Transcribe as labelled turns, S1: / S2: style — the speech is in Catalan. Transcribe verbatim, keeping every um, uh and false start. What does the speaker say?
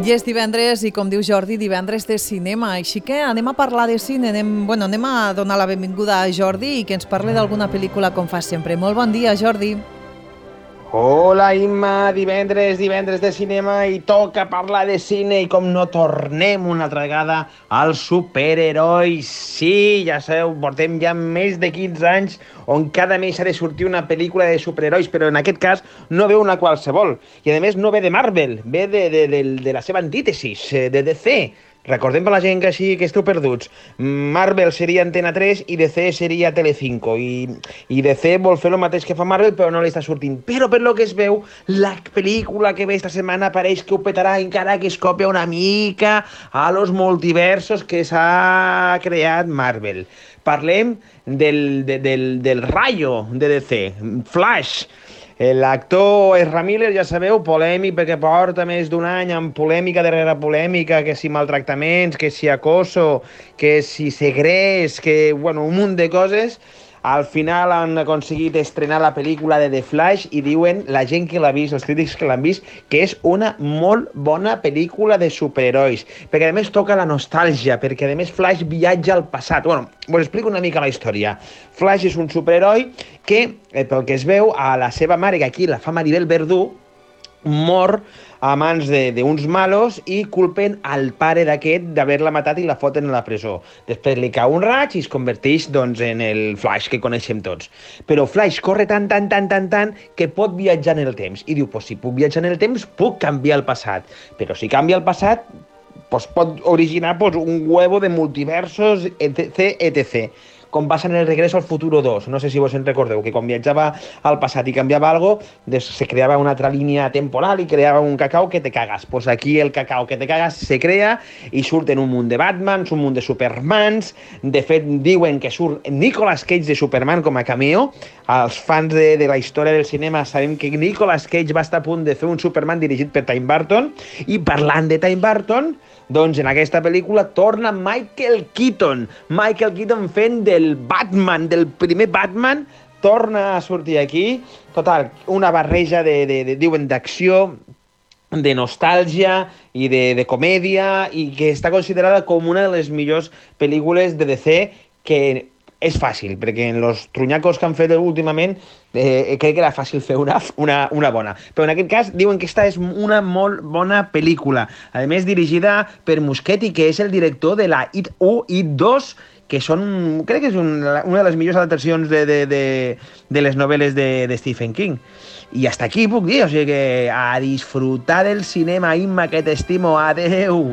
S1: I és divendres i, com diu Jordi, divendres de cinema. Així que anem a parlar de cine, anem, bueno, anem a donar la benvinguda a Jordi i que ens parli d'alguna pel·lícula com fa sempre. Molt bon dia, Jordi.
S2: Hola, Imma, divendres, divendres de cinema i toca parlar de cine i com no tornem una altra vegada als superherois. Sí, ja sabeu, portem ja més de quinze anys on cada mes ha de sortir una pel·lícula de superherois, però en aquest cas no ve una qualsevol. I a més no ve de Marvel, ve de, de, de, de la seva antítesis, de D C. Recordem per la gent que així que esteu perduts. Marvel seria Antena tres i D C seria Telecinco. I, i D C vol fer el mateix que fa Marvel, però no li està sortint. Però per lo que es veu, la pel·lícula que ve esta setmana pareix que ho petarà, encara que es copia una mica a los multiversos que s'ha creat Marvel. Parlem del, de, del, del Rayo de D C, Flash. L'actor Ezra Miller, ja sabeu, polèmic perquè porta més d'un any amb polèmica darrere polèmica, que si maltractaments, que si acoso, que si segrest, que, bueno, un munt de coses. Al final han aconseguit estrenar la pel·lícula de The Flash i diuen, la gent que l'ha vist, els crítics que l'han vist, que és una molt bona pel·lícula de superherois, perquè a més toca la nostàlgia, perquè a més Flash viatja al passat. Bueno, us explico una mica la història. Flash és un superheroi que, eh, pel que es veu, a la seva mare, que aquí la fa Maribel Verdú, mor a mans d'uns malos i culpen al pare d'aquest d'haver-la matat i la foten a la presó. Després li cau un raig i es converteix, doncs, en el Flash que coneixem tots. Però Flash corre tant, tant, tant, tant, tant que pot viatjar en el temps. I diu, pues, si puc viatjar en el temps, puc canviar el passat. Però si canvia el passat, pues, pot originar pues, un huevo de multiversos, etc, etcètera. Com passa en el Regreso al Futuro dos. No sé si vos en recordeu, que quan viatjava al passat i canviava algo, se creava una altra línia temporal i creava un cacau que te cagas. Pues aquí el cacau que te cagas se crea i surten un munt de Batmans, un munt de Supermans. De fet, diuen que surt Nicolas Cage de Superman com a cameo. Els fans de, de la història del cinema sabem que Nicolas Cage va estar a punt de fer un Superman dirigit per Tim Burton. I parlant de Tim Burton, doncs en aquesta pel·lícula torna Michael Keaton. Michael Keaton fent del Batman, del primer Batman, torna a sortir aquí. Total, una barreja de, de, de diuen, d'acció, de nostàlgia i de, de comèdia, i que està considerada com una de les millors pel·lícules de D C, que és fàcil, perquè en els trunyacos que han fet últimament eh, crec que era fàcil fer una, una, una bona. Però en aquest cas diuen que esta és una molt bona pel·lícula. A més, dirigida per Muschietti, que és el director de la It u, It dos, que són, crec que és una, una de les millors adaptacions de, de, de, de les novel·les de, de Stephen King. I hasta aquí puc dir, o sigui que a disfrutar del cinema, Imma, que t'estimo, adeu!